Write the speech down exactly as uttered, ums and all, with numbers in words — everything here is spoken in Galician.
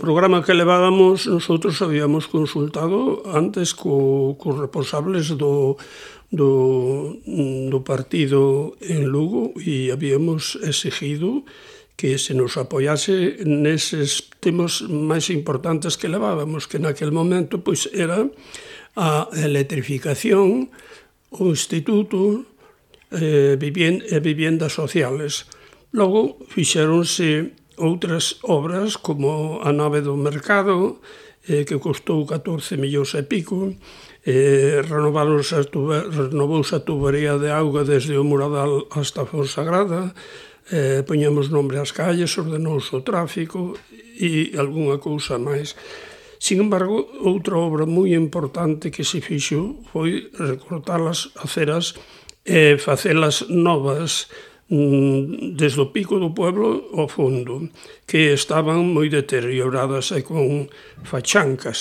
O programa que levábamos, nosotros habíamos consultado antes co, cos responsables do, do, do partido en Lugo e habíamos exigido que se nos apoiase neses temas máis importantes que levábamos, que naquel momento pois era a electrificación, o instituto e eh, viviendas sociales. Logo fixéronse outras obras como a nave do mercado, eh, que custou catorce millóns e pico, eh, renovarouse a tuba, renovouse a tubería de auga desde o Muradal hasta a Fonsagrada, eh, poñemos nombre ás calles, ordenouse o tráfico e algunha cousa máis. Sin embargo, outra obra moi importante que se fixo foi recortar as aceras e facelas novas desde o pico do pueblo ao fondo, que estaban moi deterioradas e con fachancas.